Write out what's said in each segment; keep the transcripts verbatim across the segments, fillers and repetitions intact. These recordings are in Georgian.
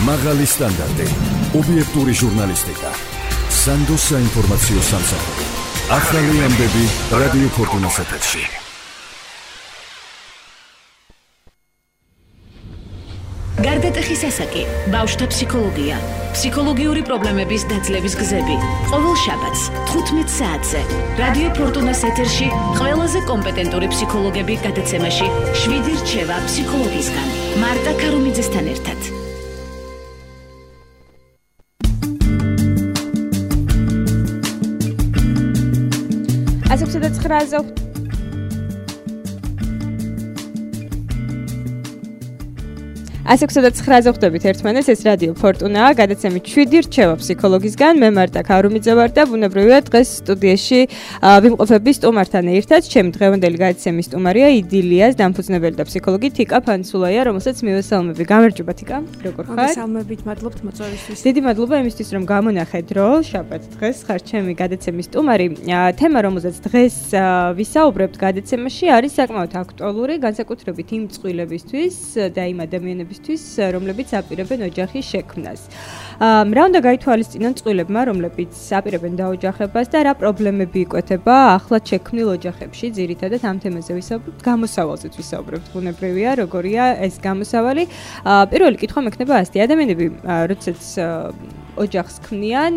მაღალი სტანდარტი, ობიექტური ჟურნალისტიკა, სანდოს საინფორმაციო სამსახური. ახალი ამბები რადიო ფორტუნას ეთერში. გარდატეხის ასაკი, ბავშვთა ფსიქოლოგია, ფსიქოლოგიური პრობლემების დაძლევის გზები. ყოველ შაბათს თხუთმეტ საათზე რადიო ფორტუნას ეთერში ყველაზე კომპეტენტური ფსიქოლოგები გადაცემაში შვიდი რჩევა ფსიქოლოგისგან. მარტა ქარუმიძესთან ერთად. ასექვსი და ცხრააზე ასექვსი და ცხრააზე ხვდებით ერთმანეთს, ეს რადიო ფორტუნაა, გადაცემით შვიდი რჩევა ფსიქოლოგისგან. მე მარტა ქარუმიძე ვარ და ბუნებრივია დღეს სტუდიაში ვიმყოფები სტუმართან ერთად. ჩემი დღევანდელი გადაცემის სტუმარია იდილიას დამფუძნებელი და ფსიქოლოგი თიკა ფანცულაია, რომელსაც მივესალმები. გამარჯობა თიკა, როგორ ხარ? მოგესალმებით, მადლობთ მოწვევისთვის. დიდი მადლობა იმისთვის, რომ გამონახეთ რო შაბათ დღეს ხარ ჩემი გადაცემის სტუმარი. თემა, რომელზეც დღეს ვისაუბრებთ გადაცემაში, არის საკმაოდ აქტუალური, განსაკუთრებით იმ წყვილებისთვის და იმ ადამიანებისთვის, რომლებიც აპირებენ ოჯახის შექმნას. რა უნდა გაითვალისწინონ წყვილებმა, რომლებიც აპირებენ დაოჯახებას და რა პრობლემები იკვეთება ახლად შექმნილ ოჯახებში? ძირითადად ამ თემაზე ვისაუბრებთ, გამოსავალზეც ვისაუბრებთ, ბუნებრივია, როგორია ეს გამოსავალი. პირველი კითხვა მექნება ასეთი: ადამიანები, როდესაც ოჯახს ქმნიან,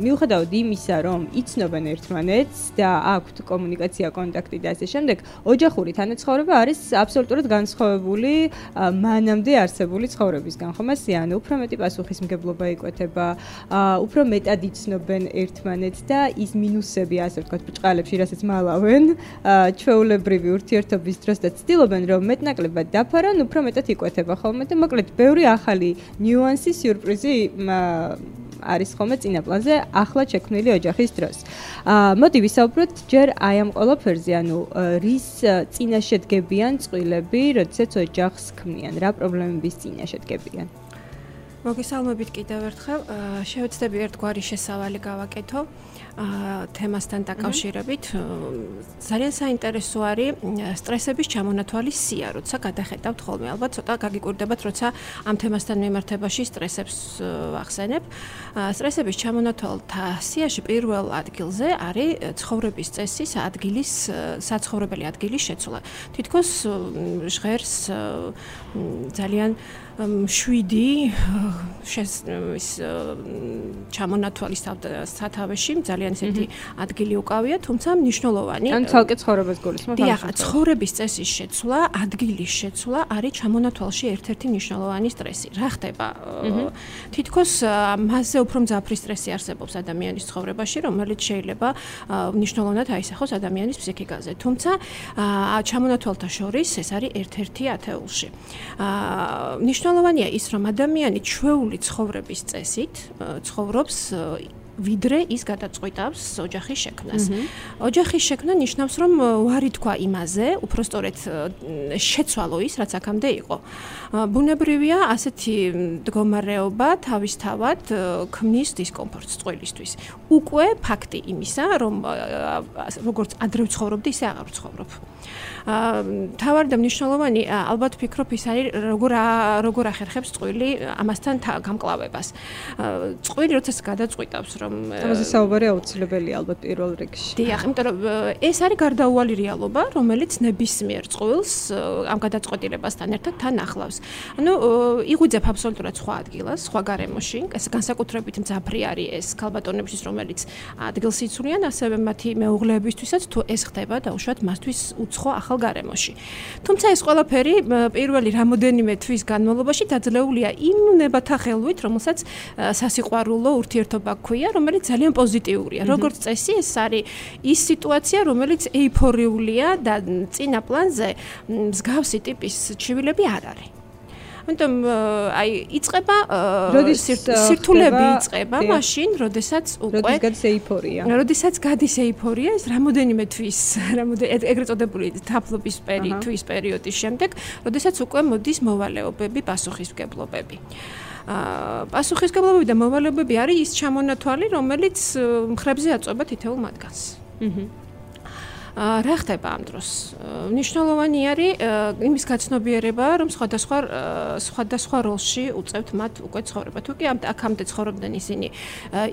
მიუხედავად იმისა, რომ იცნობენ ერთმანეთს და აქვთ კომუნიკაცია, კონტაქტი და ასე შემდეგ, ოჯახური თანაცხოვრება არის აბსოლუტურად განსხვავებული მანამდე არსებული ცხოვრებისგან, ხომ ასე? ანუ უფრო მეტი პასუხისმგებლობა იკვეთება, უფრო მეტად იცნობენ ერთმანეთს და ის მინუსები, ასე ვთქვათ, ბრჭყალებში, რასაც მალავენ, ჩვეულებრივი ურთიერთობის დროს და ცდილობენ, რომ მეტნაკლებად დაფარონ, უფრო მეტად იკვეთება ხოლმე და მოკლედ ბევრი ახალი ნიუანსი, სიურპრიზი არის ხოლმე წინაპლანზე ახლად შექმნილი ოჯახის დროს. მოდი ვისაუბროთ ჯერ აი ამ ყველაფერზე, ანუ რის წინაშე დგებიან წყვილები, როდესაც ოჯახს ქმნიან, რა პრობლემების წინაშე დგებიან? მოგესალმებით კიდევ ერთხელ. შევეცდები ერთგვარი შესავალი გავაკეთო თემასთან დაკავშირებით. ძალიან საინტერესო არის სტრესების ჩამონათვალის სია, როცა გადახედავთ ხოლმე. ალბათ ცოტა გაგიკვირდებათ, როცა ამ თემასთან მიმართებაში სტრესებს ვახსენებ. სტრესების ჩამონათვალთა სიაში პირველ ადგილზე არის ცხოვრების წესის ადგილის, საცხოვრებელი ადგილის შეცვლა. თითქოს ჟღერს ძალიან შვიდი ის ჩამონათვალის სათავეში ძალიან ისეთი ადგილი უკავია, თუმცა მნიშვნელოვანი. ან ცალკე ცხოვრებას გულისხმობ? დიახ, ცხოვრების წესის შეცვლა, ადგილის შეცვლა არის ჩამონათვალში ერთ-ერთი მნიშვნელოვანი სტრესი. რა ხდება? თითქოს მასზე უფრო მძაფრი სტრესი არსებობს ადამიანის ცხოვრებაში, რომელიც შეიძლება მნიშვნელოვნად აისახოს ადამიანის ფსიქიკაზე. თუმცა ჩამონათვალთა შორის ეს არის ერთ-ერთი ათეულში. მნიშვნელოვანია ის, რომ ადამიანი ჩვეული ცხოვრების წესით ცხოვრობს ვიდრე ის გადაწყვიტავს ოჯახის შექმნას. ოჯახის შექმნა ნიშნავს, რომ უარი თქვა იმაზე, უბრალოდ შეცვალო ის, რაც აქამდე იყო. ბუნებრივია, ასეთი მდგომარეობა თავისთავად ქმნის დისკომფორტს წყვილისთვის. უკვე ფაქტი იმისა, რომ როგორც ადრე ვცხოვრობდი, ისე აღარ ვცხოვრობ. თავარი და მნიშვნელოვანი, ალბათ ვფიქრობ, ის არის როგორ როგორ ახერხებს წყვილი ამასთან გამკლავებას. წყვილი როდესაც გადაწყვიტავს, რომ ამაზე საუბარი აუცილებელია ალბათ პირველ რიგში. დიახ, იმიტომ რომ ეს არის გარდაუვალი რეალობა, რომელიც ნებისმიერ წყვილს ამ გადაწყვეტილებასთან ერთად თან ახლავს. ანუ იღვიძებ აბსოლუტურად სხვა ადგილას, სხვა გარემოში, ეს განსაკუთრებით მძაფრი არის ეს ქალბატონებისთვის, რომელიც ადგილს იცვლიან, ასევე მათი მეუღლეებისთვისაც, თუ ეს ხდება დაუშვათ მასთვის უცხო ახალ გარემოში. თუმცა ეს ყველაფერი პირველი რამოდენიმე თვის განმავლობაში დაძლეულია იმ ნებათა ხელვით, რომელსაც სასიყვარულო ურთიერთობა ქვია, რომელიც ძალიან პოზიტიურია. როგორც წესი, ეს არის ის სიტუაცია, რომელიც ეიფორიულია და წინა პლანზე მსგავსი ტიპის ჩივილები არ არის. ამიტომ აი იწყება სირთულები იწყება მაშინ, როდესაც უკვე როდის გადის ეიფორია. როდესაც გადის ეიფორია, ეს რამოდენიმე თვის, რამოდენიმე ეგრეთ წოდებული თაფლობის თვის პერიოდის შემდეგ, როდესაც უკვე მოდის მოვალეობები, პასუხისმგებლობები. პასუხისმგებლობები და მოვალეობები არის ის ჩამონათვალი, რომელიც მხრებზე აწვება თითოეულ მათგანს. რა ხდება ამ დროს? მნიშვნელოვანი არის იმის გაცნობიერება, რომ სხვადასხვა სხვადასხვა როლში უწევთ მათ უკვე ცხოვრება. თუ კი აქამდე ცხოვრობდნენ ისინი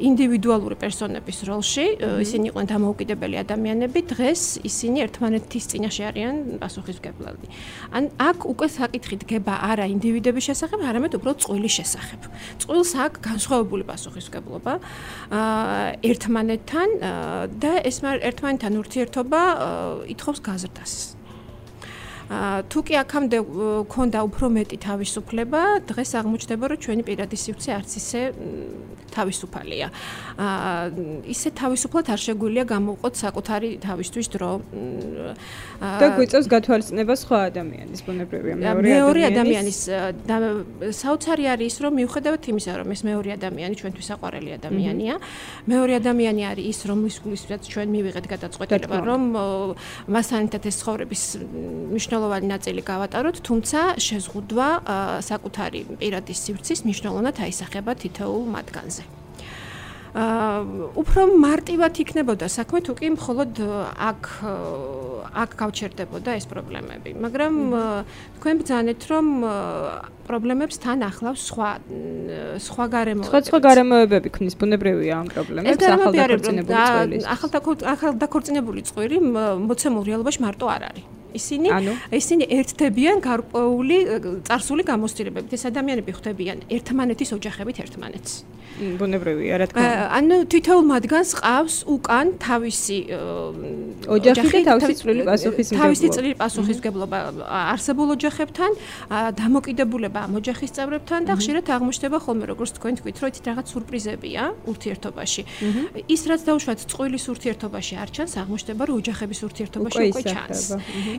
ინდივიდუალური პერსონების როლში, ისინი იყვნენ დამოუკიდებელი ადამიანები, დღეს ისინი ერთმანეთის წინაშე არიან პასუხისმგებლები. ან აქ უკვე საკითხი დგება არა ინდივიდების შესახებ, არამედ უბრალოდ წყვილის შესახებ. წყვილს აქ განსხვავებული პასუხისმგებლობა ერთმანეთთან და ეს ერთმანეთთან ურთიერთობა ითხოვს გაზრდას. თუ კი აქამდე ქონდა უფრო მეტი თავისუფლება, დღეს აღმოჩნდება, რომ ჩვენი პირადი სივრცე არც ისე თავისუფალია. ისე თავისუფლად არ შეგვიძლია გამოვყოთ საკუთარი თავისთვის დრო. და გვიწევს გათვალისწინება სხვა ადამიანის ბუნებრივია მეორე ადამიანის საოცარი არის ის, რომ მიუხედავად იმისა, რომ ეს მეორე ადამიანი ჩვენთვის საყვარელი ადამიანია, მეორე ადამიანი არის ის, რომლის გულისთვისაც ჩვენ მივიღეთ გადაწყვეტილება, რომ მასთან ერთად ეს ცხოვრების მნიშვნელოვანი ნაწილი გავატაროთ, თუმცა შეზღუდვა საკუთარი პირადი სივრცის მნიშვნელოვნად აისახება თითოეულ მათგანზე. უფრო მარტივად იქნებოდა საქმე, თუ კი მხოლოდ აქ აქ გავჩერდებოდა ეს პრობლემები, მაგრამ თქვენ ბრძანეთ, რომ პრობლემებს თან ახლავს სხვა სხვა გარემოებები. სხვა სხვა გარემოებები ქმნის ბუნებრივია ამ პრობლემებს, ახალდაქორწინებული წყვილის. ახალდაქორწინებული წყვირი მოცემულ რეალობაში მარტო არ არის. ისინი ისინი ერთდებიან გარკვეული წარსული გამოცდილებებით. ეს ადამიანები ხვდებიან ერთმანეთის ოჯახებით ერთმანეთს. ბუნებრივია, რა თქმა უნდა. ანუ თითოეულ მათგანს ყავს უკან თავისი ოჯახი და თავისი წვრილი პასუხისმგებლობა. თავისი წვრილი პასუხისმგებლობა არსებულ ოჯახებთან, დამოკიდებულება ამ ოჯახის წევრებთან და ხშირად აღმოჩნდება ხოლმე, როგორც თქვენ თქვით, რომ იცით რაღაც სურპრიზებია ურთიერთობაში. ის რაც დაუშვათ წყვილის ურთიერთობაში არ ჩანს, აღმოჩნდება, რომ ოჯახების ურთიერთობაში უკვე ჩანს.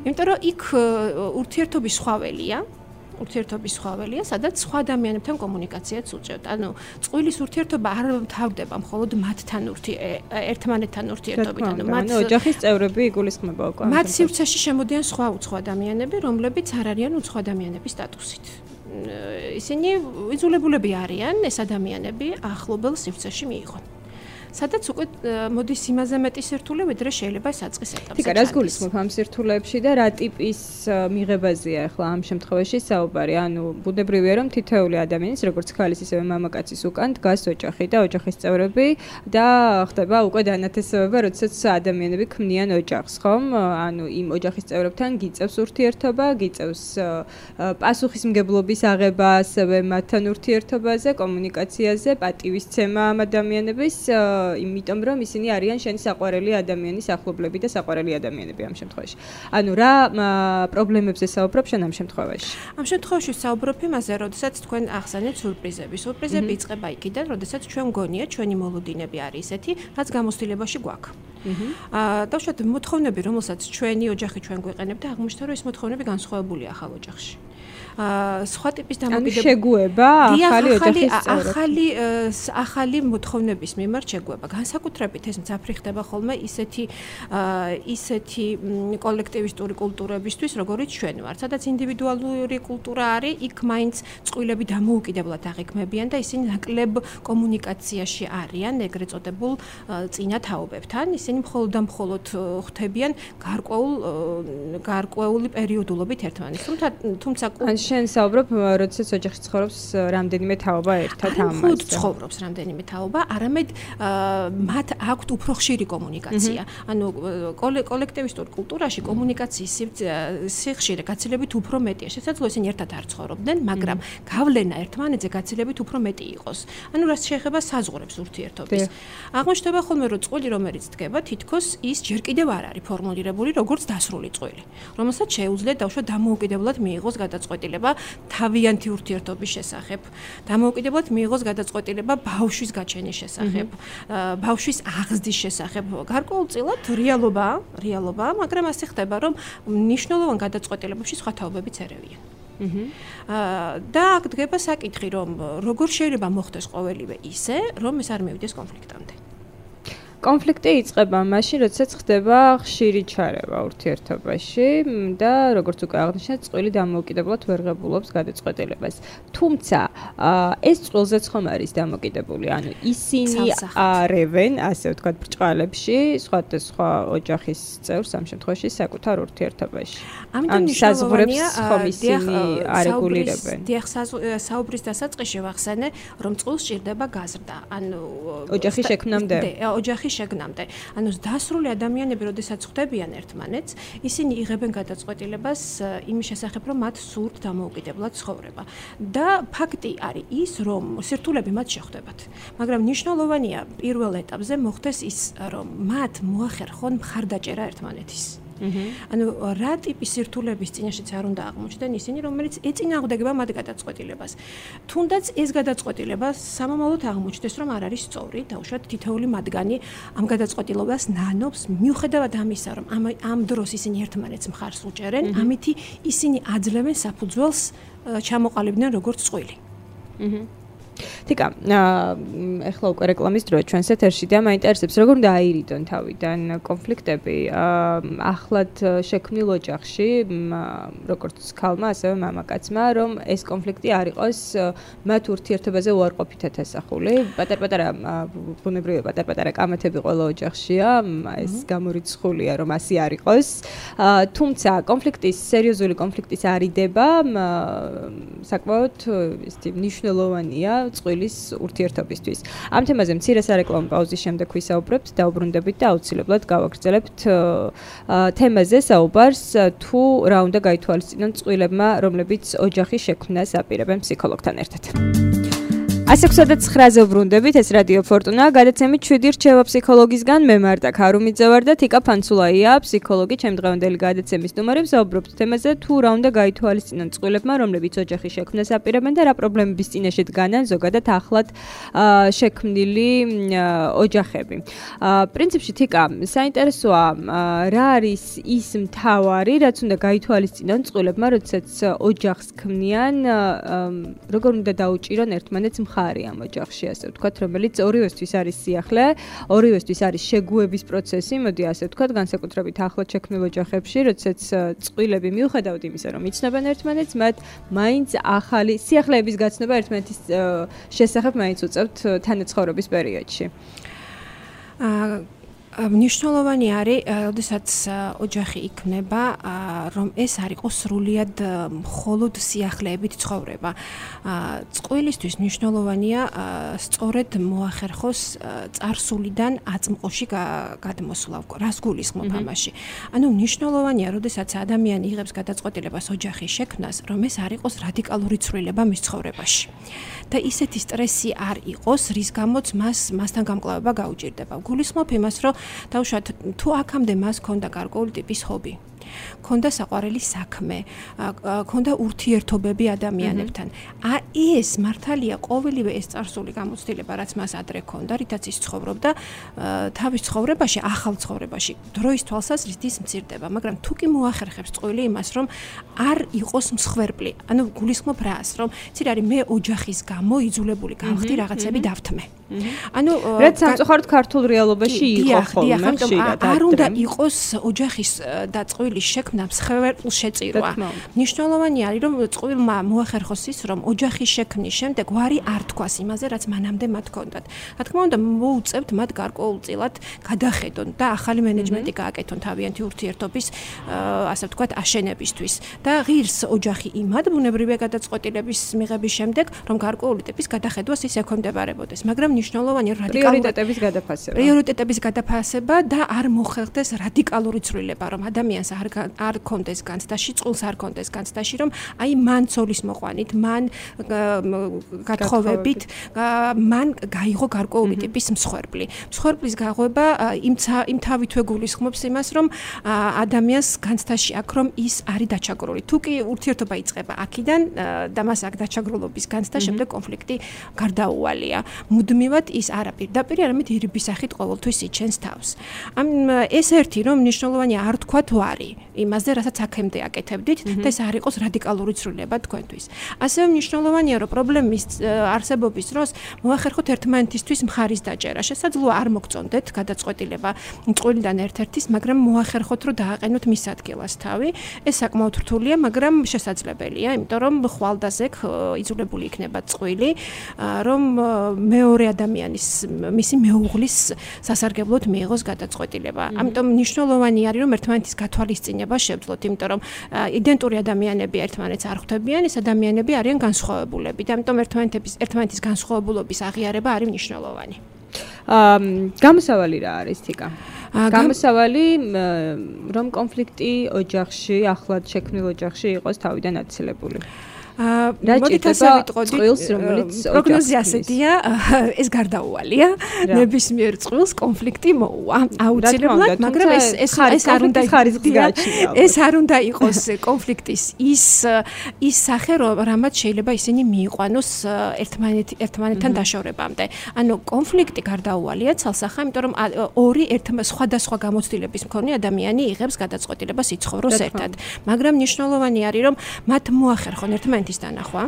იმიტომ რომ იქ ურთიერთობის სხვაველია, ურთიერთობის სხვაველია, სადაც სხვა ადამიანებთან კომუნიკაციაც უწევთ. ანუ წყვილის ურთიერთობა არ თავდება მხოლოდ მათთან ერთმანეთთან ურთიერთობით, ანუ მათ ოჯახის წევრები იგულისხმება უკვე. მათ სივრცეში შემოდიან სხვა უცხო ადამიანები, რომლებიც არ არიან უცხო ადამიანების სტატუსით. ისინი იძულებულები არიან ეს ადამიანები ახლობელ სივრცეში მიიღონ. სადაც უკვე მოდის იმაზე მეტი სირთულე, ვიდრე შეიძლება ეს აწყის ეტაპზე. თიკა, რას გულისხმობ ამ სირთულეებში და რა ტიპის მიღებაზეა ახლა ამ შემთხვევაში საუბარი? ანუ ბუნებრივია, რომ თითოეული ადამიანის, როგორც ქალის, ისევე მამაკაცის უკან დგას ოჯახი და ოჯახის წევრები და ხდება უკვე დანათესავება, როდესაც ადამიანები ქმნიან ოჯახს, ხომ? ანუ იმ ოჯახის წევრებთან გიწევს ურთიერთობა, გიწევს პასუხისმგებლობის აღება, ასევე მათთან ურთიერთობაზე, კომუნიკაციაზე, პატივისცემა ამ ადამიანების იმიტომ რომ ისინი არიან შენი საყვარელი ადამიანის ახლობლები და საყვარელი ადამიანები ამ შემთხვევაში. ანუ რა პრობლემებზე საუბრობ შენ ამ შემთხვევაში? ამ შემთხვევაში საუბრობ იმაზე, როდესაც თქვენ ახსენეთ სურპრიზები. სურპრიზები იწყება იქიდან, როდესაც ჩვენ გონია ჩვენი მოლოდინები არის ესეთი, რაც გამოცდილებაში გვაქვს. აა დავუშვათ მოთხოვნები, რომელსაც ჩვენი ოჯახი ჩვენ გვეყენებთ და აღმოჩნდა, რომ ეს მოთხოვნები განსხვავებულია ახალ ოჯახში. აა სხვა ტიპის დამოკიდებულება შეგუება ახალი ოჯახის წევრებს. ახალი ახალი მოთხოვნების მიმართ შეგუება. განსაკუთრებით ეს მძაფრი ხდება ხოლმე ისეთი ისეთი კოლექტივისტური კულტურებისთვის, როგორიც ჩვენ ვართ. სადაც ინდივიდუალური კულტურა არის, იქ მაინც წყვილები დამოუკიდებლად აღიქმებიან და ისინი ნაკლებ კომუნიკაციაში არიან ეგრეთ წოდებულ წინა თაობებთან. ისინი მხოლოდ და მხოლოდ ხვდებიან გარკვეულ გარკვეული პერიოდულობით ერთმანეთს. თუმცა თუმცა შენ საუბრობ, როდესაც ოჯახში ცხოვრობს რამდენიმე თაობა ერთად ამაზე. ხუთ ცხოვრობს რამდენიმე თაობა, არამედ მათ აქვთ უფრო ხშირი კომუნიკაცია. ანუ კოლექტივისტურ კულტურაში კომუნიკაციის სიხშირე გაცილებით უფრო მეტია. შესაძლოა ისინი ერთად არ ცხოვრობდნენ, მაგრამ გავლენა ერთმანეთზე გაცილებით უფრო მეტი იყოს. ანუ რაც შეეხება საზღვრებს ურთიერთობის. აღმოჩნდება ხოლმე, რომ წყვილი რომელიც დგება, თითქოს ის ჯერ კიდევ არ არის ფორმულირებული როგორც დასრული წყვილი, რომელსაც შეუძლია დაუშვათ დამოუკიდებლად მიიღოს გადაწყვეტილება თავიანთი ურთიერთობის შესახებ. დამოუკიდებლად მიიღოს გადაწყვეტილება ბავშვის გაჩენის შესახებ, ბავშვის აღზრდის შესახებ. გარკვეულწილად რეალობაა, რეალობაა, მაგრამ ასე ხდება, რომ მნიშვნელოვან გადაწყვეტილებებში სხვა თაობებიც ერევიან. და აქ დგება საკითხი, რომ როგორ შეიძლება მოხდეს ყოველივე ისე, რომ ეს არ მივიდეს კონფლიქტამდე. კონფლიქტი იწყება მაშინ, როდესაც ხდება ხშირი ჩარევა ურთიერთობაში და როგორც უკვე აღნიშნეთ, წყვილი დამოუკიდებლად ვერ ღებულობს გადაწყვეტილებას. თუმცა, ეს წვილზეც ხომ არის დამოკიდებული, ანუ ისინი არევენ, ასე ვთქვათ, ბრჭყალებში, სხვადასხვა ოჯახის წევრს ამ შემთხვევაში საკუთარ ურთიერთობაში. ამიტომ საზღვრებს ხომ ისინი არეგულირებენ. დიახ, საუბრის დასაწყისში ვახსენე, რომ წყვილს სჭირდება გაზრდა, ანუ ოჯახის შექმნამდე. ოჯახის შექმნამდე. ანუ დასრული ადამიანები, როდესაც ხვდებიან ერთმანეთს, ისინი იღებენ გადაწყვეტილებას იმის შესახებ, რომ მათ სურთ დამოუკიდებლად ცხოვრება. და ფაქტი არის ის, რომ სირთულეები მათ შეხვდებათ. მაგრამ მნიშვნელოვანია პირველ ეტაპზე მოხდეს ის, რომ მათ მოახერხონ მხარდაჭერა ერთმანეთის. ანუ რა ტიპის სირთულეების წინაშეც არ უნდა აღმოჩნდნენ ისინი, რომელიც ეწინააღმდეგება მათ გადაწყვეტილებას. თუნდაც ეს გადაწყვეტილება სამომავლოდ აღმოჩნდეს, რომ არ არის სწორი, დაუშვათ თითოეული მათგანი ამ გადაწყვეტილებას ნანობს, მიუხედავად ამისა, რომ ამ ამ დროს ისინი ერთმანეთს მხარს უჭერენ, ამითი ისინი აძლევენ საფუძველს ჩამოყალიბდნენ როგორც წყვილი. თიკა, ეხლა უკვე რეკლამის დროა ჩვენს ეთერში და მაინტერესებს, როგორ უნდა აირიდონ თავიდან კონფლიქტები ახლად შექმნილ ოჯახში, როგორც ქალმა, ასევე მამაკაცმა, რომ ეს კონფლიქტი არ იყოს მათ ურთიერთობაზე უარყოფითად ასახული. პატარ-პატარა ბუნებრივია პატარ-პატარა კამათები ყველა ოჯახშია, ეს გამორიცხულია, რომ ასე არ იყოს. თუმცა კონფლიქტის, სერიოზული კონფლიქტის არიდება საკმაოდ ისეთი მნიშვნელოვანია წვილის ურთიერთობისთვის. ამ თემაზე მცირე სარეკლამო პაუზის შემდეგ ვისაუბრებთ, დაუბრუნდებით და აუცილებლად გავაგრძელებთ თემაზე საუბარს, თუ რა უნდა გაითვალისწინონ წყვილებმა, რომლებიც ოჯახის შექმნას აპირებენ ფსიქოლოგთან ერთად. ასე გვსადაც ცხრაზე ვბრუნდებით, ეს რადიო ფორტუნა, გადაცემით შვიდი რჩევა ფსიქოლოგისგან, მე მარტა ქარუმიძე ვარ და თიკა ფანცულაია, ფსიქოლოგი, ჩემი დღევანდელი გადაცემის სტუმარი, ვსაუბრობთ თემაზე, თუ რა უნდა გაითვალისწინონ წყვილებმა, რომლებიც ოჯახის შექმნას აპირებენ და რა პრობლემების წინაშე დგანან ზოგადად ახლად შექმნილი ოჯახები. პრინციპში თიკა, საინტერესოა, რა არის ის მთავარი, რაც უნდა გაითვალისწინონ წყვილებმა, როდესაც ოჯახს ქმნიან, როგორ უნდა დაუჭირონ ერთმანეთს მხარი ამ ოჯახში, ასე ვთქვათ, რომელიც ორივესთვის არის სიახლე, ორივესთვის არის შეგუების პროცესი, მოდი ასე ვთქვათ, განსაკუთრებით ახლად შექმნილ ოჯახებში, როდესაც წყვილები მიუხედავად იმისა, რომ იცნობენ ერთმანეთს, მათ მაინც ახალი სიახლეების გაცნობა ერთმანეთის შესახებ მაინც უწევთ თანაცხოვრების პერიოდში. მნიშვნელოვანი არის, როდესაც ოჯახი იქმნება, რომ ეს არ იყოს სრულიად მხოლოდ სიახლეებით ცხოვრება. წყვილისთვის მნიშვნელოვანია სწორედ მოახერხოს წარსულიდან აწმყოში გადმოსვლა. რას გულისხმობ ამაში? ანუ მნიშვნელოვანია, როდესაც ადამიანი იღებს გადაწყვეტილებას ოჯახის შექმნას, რომ ეს არ იყოს რადიკალური ცვლილება მის ცხოვრებაში. და ისეთი სტრესი არ იყოს, რის გამოც მას მასთან გამკლავება გაუჭირდება. გულისხმობ იმას, რომ დაუშვათ თუ აქამდე მას ჰქონდა გარკვეული ტიპის ჰობი, ჰქონდა საყვარელი საქმე, ჰქონდა ურთიერთობები ადამიანებთან. ეს მართალია ყოველივე ეს წარსული გამოცდილება, რაც მას ადრე ჰქონდა, რითაც ის ცხოვრობდა, თავის ცხოვრებაში, ახალ ცხოვრებაში, დროის თვალსაზრისით ის მცირდება, მაგრამ თუ კი მოახერხებს წყვილი იმას, რომ არ იყოს მსხვერპლი, ანუ გულისხმობ რას, რომ ცირ არის მე ოჯახის გამო იძულებული გავხდი რაღაცები დავთმე. ანუ რაც სამწუხაროდ ქართულ რეალობაში იყო ხოლმე ხშირად. არ უნდა იყოს ოჯახის და წყვილის შექმნა მსხვერპლ შეწირვა. მნიშვნელოვანი არის, რომ წყვილმა მოახერხოს ის, რომ ოჯახის შექმნის შემდეგ ვარი არ თქვას იმაზე, რაც მანამდე მათ ჰქონდათ. რა თქმა უნდა, მოუწევთ მათ გარკვეულწილად გადახედონ და ახალი მენეჯმენტი გააკეთონ თავიანთი ურთიერთობის, ასე ვთქვათ, აშენებისთვის. და ღირს ოჯახი იმად ბუნებრივია გადაწყვეტილების მიღების შემდეგ, რომ გარკვეული ტიპის გადახედვას ის ექვემდებარებოდეს. მაგრამ მნიშვნელოვანია პრიორიტეტების გადაფასება. პრიორიტეტების გადაფასება და არ მოხერხდეს რადიკალური ცვლილება, რომ ადამიანს არ არ კონდეს განცდაში, წყვილს არ კონდეს განცდაში, რომ აი მან ცოლის მოყვანით, მან გათხოვებით, მან გაიღო გარკვეული ტიპის მსხვერპლი. მსხვერპლის გაღვება იმ იმ თავითვე გულისხმობს იმას, რომ ადამიანს განცდაში აქვს, რომ ის არის დაჩაგრული. თუ კი ურთიერთობა იწყება აქედან და მას აქ დაჩაგრულობის განცდა შემდეგ კონფლიქტი გარდაუვალია. მუდმივად ის არა პირდაპირ, არამედ ირიბის სახით ყოველთვის იჩენს თავს. ამ ეს ერთი რომ მნიშვნელოვანია არ თქვა თუ არის. იმაზე, რასაც აქემდე აკეთებდით და ეს არ იყოს რადიკალური ცვლილება თქვენთვის. ასევე მნიშვნელოვანია, რომ პრობლემის არსებობის დროს მოახერხოთ ერთმანეთისთვის მხარის დაჭერა. შესაძლოა არ მოგწონდეთ გადაწყვეტილება წყვილიდან ერთ-ერთის, მაგრამ მოახერხოთ, რომ დააყენოთ მის ადგილას თავი. ეს საკმაოდ რთულია, მაგრამ შესაძლებელია, იმიტომ რომ ხვალდაზე იძულებული იქნება წყვილი, რომ მეორე ადამიანის მისი მეუღლის სასარგებლოდ მიიღოს გადაწყვეტილება. ამიტომ მნიშვნელოვანი არის, რომ ერთმანეთის გათვალისწინება შევძლოთ, იმიტომ რომ იდენტური ადამიანები ერთმანეთს არ ხვდებიან, ეს ადამიანები არიან განსხვავებულები და ამიტომ ერთმანეთის ერთმანეთის განსხვავებულობის აღიარება არის მნიშვნელოვანი. აა გამოსავალი რა არის თიკა? გამოსავალი რომ კონფლიქტი ოჯახში, ახლად შექმნილ ოჯახში იყოს თავიდან აცილებული. მოდით ასე ვიტყოდით, წყვილს რომელიც პროგნოზი ასეთია, ეს გარდაუვალია, ნებისმიერ წყვილს კონფლიქტი მოუვა. აუცილებლად, მაგრამ ეს ეს ეს არ უნდა ეს არ უნდა იყოს კონფლიქტის ის ის სახე, რამაც შეიძლება ისინი მიიყვანოს ერთმანეთ ერთმანეთთან დაშორებამდე. ანუ კონფლიქტი გარდაუვალია ცალსახა, იმიტომ რომ ორი ერთმა სხვადასხვა გამოცდილების მქონე ადამიანი იღებს გადაწყვეტილებას იცხოვროს ერთად. მაგრამ მნიშვნელოვანი არის, რომ მათ მოახერხონ ერთმანეთის დანახვა,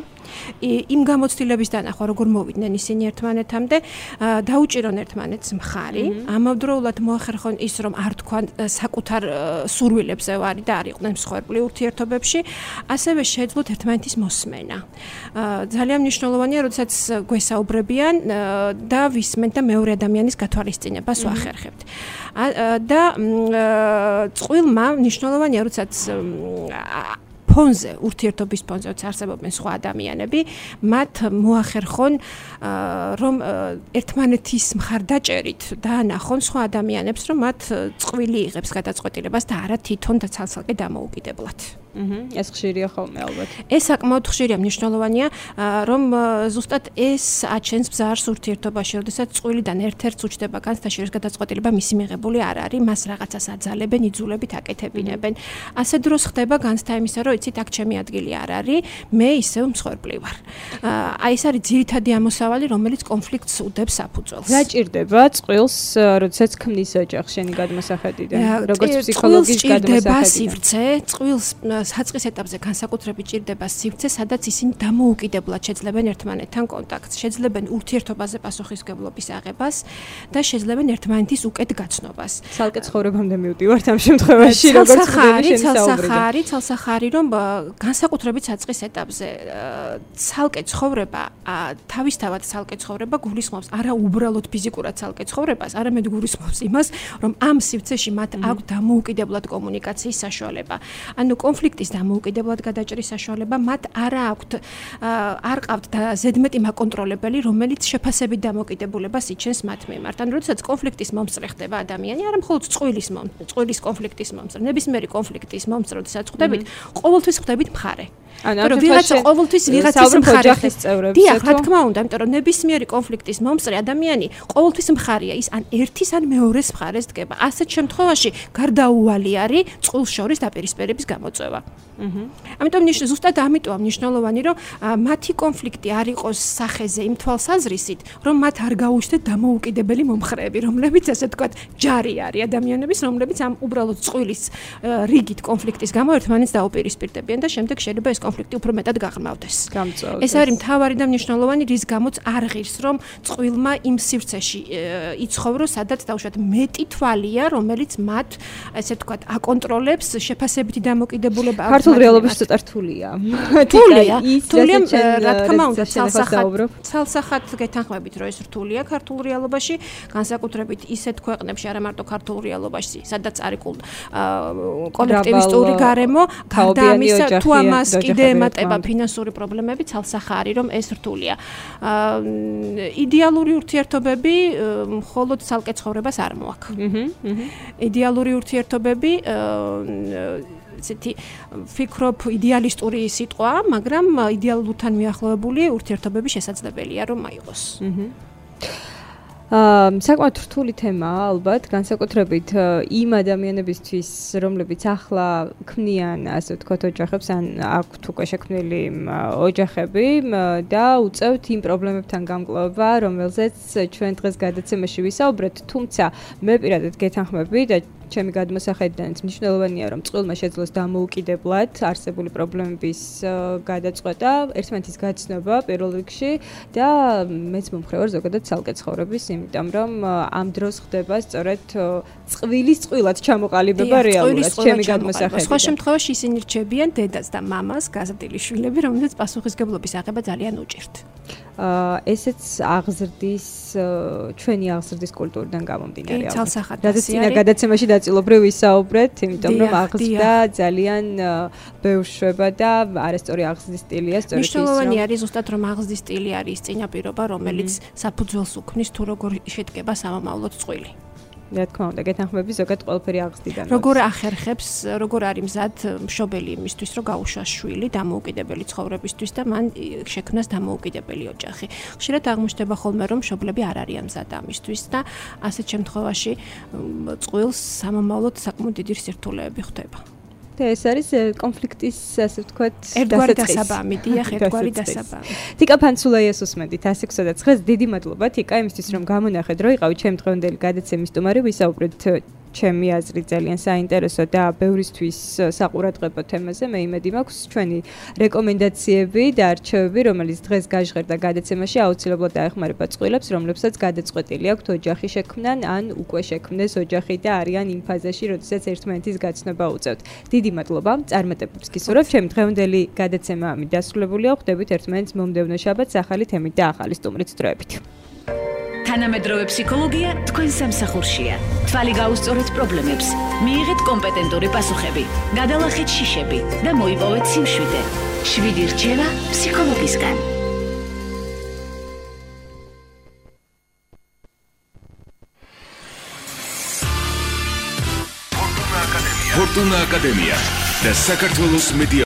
იმ გამოცდილების დანახვა, როგორ მოვიდნენ ისინი ერთმანეთამდე, დაუჭირონ ერთმანეთს მხარი, ამავდროულად მოახერხონ ის, რომ არ თქვან საკუთარ სურვილებზე ვარი და არ იყვნენ მსხვერპლი ურთიერთობებში, ასევე შეეძლოთ ერთმანეთის მოსმენა. ძალიან მნიშვნელოვანია, როდესაც გვესაუბრებიან და ვისმენთ და მეორე ადამიანის გათვალისწინებას ვახერხებთ. და წყვილმა მნიშვნელოვანია, როდესაც ფონზე, ურთიერთობის ფონზე არსებობენ სხვა ადამიანები, მათ მოახერხონ, რომ ერთმანეთის მხარდაჭერით დაანახონ სხვა ადამიანებს, რომ მათ წყვილი იღებს გადაწყვეტილებას და არა თვითონ და ცალსაკე დამოუკიდებლად. ეს ხშირია ხოლმე ალბათ. ეს საკმაოდ ხშირია, მნიშვნელოვანია, რომ ზუსტად ეს აჩენს ბზარს ურთიერთობაში, როდესაც წვილიდან ერთ-ერთს უჩდება განცდაში, რომ გადაწყვეტილება მისი მიღებული არ არის, მას რაღაცას აძალებენ, იძულებით აკეთებინებენ. ასე დროს ხდება განცდა იმისა, რომ იცით, აქ ჩემი ადგილი არ არის, მე ისევ მსხვერპლი ვარ. აი ეს არის ძირითადი ამოსავალი, რომელიც კონფლიქტს უდებს საფუძველს. რა ჭირდება წყვილს, როდესაც ქმნის ოჯახს შენი გადმოსახედიდან, როგორც ფსიქოლოგის გადმოსახედიდან? წყვილს საწყის ეტაპზე განსაკუთრებით ჭირდება სივრცე, სადაც ისინი დამოუკიდებლად შეძლებენ ერთმანეთთან კონტაქტს, შეძლებენ ურთიერთობაზე პასუხისმგებლობის აღებას და შეძლებენ ერთმანეთის უკეთ გაცნობას. ცალკე ცხოვრებამდე მივდივართ ამ შემთხვევაში, როგორც ხდება შენი საუბრიდან. ცალსახარი, რომ განსაკუთრებით საწყის ეტაპზე ცალკე ცხოვრება, თავისთავად ცალკე ცხოვრება გულისხმობს არა უბრალოდ ფიზიკურად ცალკე ცხოვრებას, არამედ გულისხმობს იმას, რომ ამ სივრცეში მათ აქვს დამოუკიდებლად კომუნიკაციის საშუალება. ანუ კონფლიქტის დამოუკიდებლად გადაჭრის საშუალება მათ არ აქვთ, არ ყავთ და ზედმეტი მაკონტროლებელი, რომელიც შეფასებით დამოუკიდებულებას იჩენს მათ მიმართ. ანუ როდესაც კონფლიქტის მომსწრე ხდება ადამიანი, არა მხოლოდ წყვილის მომსწრე, წყვილის კონფლიქტის მომსწრე, ნებისმიერი კონფლიქტის მომსწრე, როდესაც ხდებით, ყოველთვის ხდებით მხარე. ანუ ვიღაცა ყოველთვის ვიღაცის მხარე ხდება. დიახ, რა თქმა უნდა, იმიტომ რომ ნებისმიერი კონფლიქტის მომსწრე ადამიანი ყოველთვის მხარეა, ის ან ერთის ან მეორეს მხარეს დგება. ასეთ შემთხვევაში გარდაუვალი არის წყვილს შორის დაპირისპირების გამოწვევა. ამიტომ ნიშნავს ზუსტად ამიტომ მნიშვნელოვანი, რომ მათი კონფლიქტი არ იყოს სახეზე იმ თვალსაზრისით, რომ მათ არ გაუჩნდეთ დამოუკიდებელი მომხრეები, რომლებიც ასე ვთქვათ, ჯარი არის ადამიანების, რომლებიც ამ უბრალოდ წყვილის რიგით კონფლიქტის გამო ერთმანეთს დაუპირისპირდებიან და შემდეგ შეიძლება ეს კონფლიქტი უფრო მეტად გაღრმავდეს. ეს არის მთავარი და მნიშვნელოვანი, რის გამოც არ ღირს, რომ წყვილმა იმ სივრცეში იცხოვროს, სადაც დაუშვათ მეტი თვალია, რომელიც მათ ასე ვთქვათ, აკონტროლებს შეფასებითი დამოკიდებულება. ქართულ რეალობაში ცოტა რთულია. რთულია, რთულია, რა თქმა უნდა, ცალსახად გეთანხმებით, რომ ეს რთულია ქართულ რეალობაში, განსაკუთრებით ისეთ ქვეყნებში, არა მარტო ქართულ რეალობაში, სადაც არის კოლექტივისტური გარემო, გარდა ამისა, თუ ამას კიდე ემატება ფინანსური პრობლემები, ცალსახა არის, რომ ეს რთულია. იდეალური ურთიერთობები მხოლოდ ცალკე ცხოვრებას არ მოაქვს. იდეალური ურთიერთობები ცეთი ფიქრობ იდეალისტური სიტყვა, მაგრამ იდეალურთან მიახლოებული ურთიერთობები შესაძლებელია რომ აიღოს. აა საკმაოდ რთული თემაა ალბათ, განსაკუთრებით იმ ადამიანებისთვის, რომლებიც ახლა ქმნიან, ასე ვთქვათ, ოჯახებს, ან აქვთ უკვე შექმნილი ოჯახები და უწევთ იმ პრობლემებთან გამკლობა, რომელზეც ჩვენ დღეს გადაცემაში ვისაუბრეთ, თუმცა მე პირადად გეთანხმები და ჩემი გადმოსახედიდანაც მნიშვნელოვანია, რომ წყვილმა შეძლოს დამოუკიდებლად არსებული პრობლემების გადაწყვეტა, ერთმანეთის გაცნობა პირველ რიგში და მეც მომხრე ვარ ზოგადად ცალკე ცხოვრების, იმიტომ რომ ამ დროს ხდება სწორედ წყვილის წყვილად ჩამოყალიბება რეალურად ჩემი გადმოსახედიდან. სხვა შემთხვევაში ისინი რჩებიან დედას და მამას, გაზრდილი შვილები, რომელთაც პასუხისგებლობის აღება ძალიან უჭირთ. აა ესეც აღზრდის ჩვენი აღზრდის კულტურიდან გამომდინარე. კი, ცალსახად რადგან წინა გადაცემაში დაწილობრივ ვისაუბრეთ, იმიტომ რომ აღზრდა ძალიან ბევრ შვება და არასწორი აღზრდის სტილია, სწორედ ის. მნიშვნელოვანი არის ზუსტად რომ აღზრდის სტილი არის წინაპირობა, რომელიც საფუძველს უქმნის თუ როგორ შედგება სამომავლოდ წყვილი. რა თქმა უნდა, გეთანხმები ზოგადად ყველაფერი აღზრდიდან. როგორ ახერხებს, როგორ არის მზად მშობელი იმისთვის, რომ გაუშვას შვილი დამოუკიდებელი ცხოვრებისთვის და მან შექმნას დამოუკიდებელი ოჯახი. ხშირად აღმოჩნდება ხოლმე, რომ მშობლები არ არიან მზად ამისთვის და ასეთ შემთხვევაში წყვილს სამომავლოდ საკმაოდ დიდი სირთულეები ხვდება. და ეს არის კონფლიქტის, ასე ვთქვათ, ერთგვარი დასაბამი, დიახ, ერთგვარი დასაბამი. თიკა ფანცულაიას უსმენდით one six და nine დიდი მადლობა თიკა იმისთვის, რომ გამონახეთ, რომ იყავით ჩემი დღევანდელი გადაცემის სტუმარი, ვისაუბრეთ ჩემი აზრით ძალიან საინტერესო და ბევრისთვის საყურადღებო თემაზე. მე იმედი მაქვს ჩვენი რეკომენდაციები და არჩევები, რომელიც დღეს გაჟღერდა გადაცემაში, აუცილებლად დაეხმარება წყვილებს, რომლებსაც გადაწყვეტილი აქვთ ოჯახი შექმნან, ან უკვე შექმნეს ოჯახი და არიან იმ ფაზაში, როდესაც ერთმანეთის გაცნობა უწევთ. დიდი მადლობა. წარმატებებს გისურვებთ. ჩემი დღევანდელი გადაცემა ამით დასრულებულია. ხვდებით ერთმანეთს მომდევნო შაბათს ახალი თემით და ახალი სტუმრით დროებით. თანამედროვე ფსიქოლოგია თქვენ სამსახურშია. თვალი გაუსწორეთ პრობლემებს, მიიღეთ კომპეტენტური პასუხები, გადალახეთ შიშები და მოიპოვეთ სიმშვიდე. შვიდი რჩევა ფსიქოლოგისგან. ფორტუნა აკადემია და საქართველოს მედია